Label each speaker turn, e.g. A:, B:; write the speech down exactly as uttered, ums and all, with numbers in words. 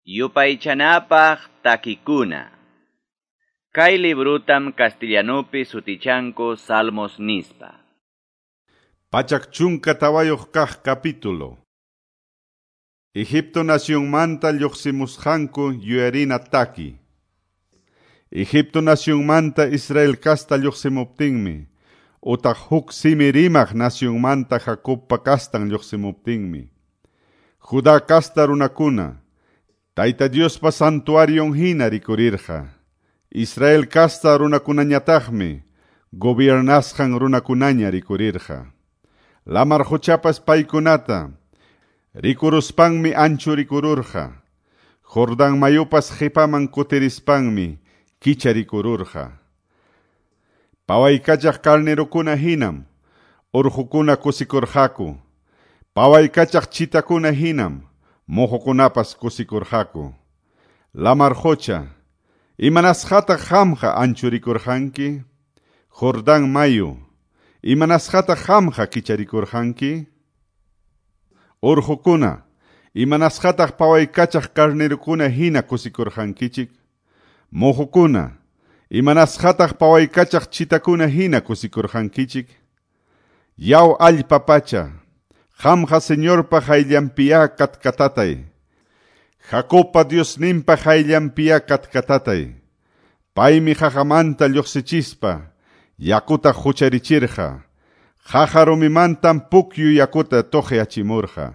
A: Yupaychanapaq takikuna. Kay librutam castellanupi sutichanku Salmos nispa.
B: Pachak chunka tawayuq kaq capítulo. Egipto nacionmanta lluqsimusqanku yuyarina taki. Egipto nacionmanta Israel kasta lluqsimuptinmi, utaq huk simi rimaq nacionmanta Jacobpa kastan lluqsimuptinmi. Judá kasta runakuna, Tayta Diospa santuarion hina rikurirqa. Israel kasta runakunañataqmi, gobiernasqan runakunaña rikurirqa. Lamar quchapas paykunata, rikuruspanmi anchu rikururqa. Jordán mayupas qipaman kutirispanmi kicharikururqa. Pawaykachaq carnerokuna hinam, urqukuna kusikurqaku. Pawaykachaq chitakuna hinam, muhukunapas kusikurqaku. Lamar qucha, imanasqataq qamqa anchurikurqanki? Jordán mayu, imanasqataq qamqa kicharikurqanki? Urqukuna, imanasqataq pawaykachaq carnerokuna hina kusikurqankichik? Muhukuna, imanasqataq pawaykachaq chitakuna hina kusikurqankichik? Yaw allpa pacha, qamqa Señorpa qayllanpiya katkatatay. Jacobpa Diosninpa qayllanpiya katkatatay. Paymi qaqamanta lluqsichispa, yakuta hucharichirqa. Qaqa rumimantam pukyu yakuta tuqyachimurqa.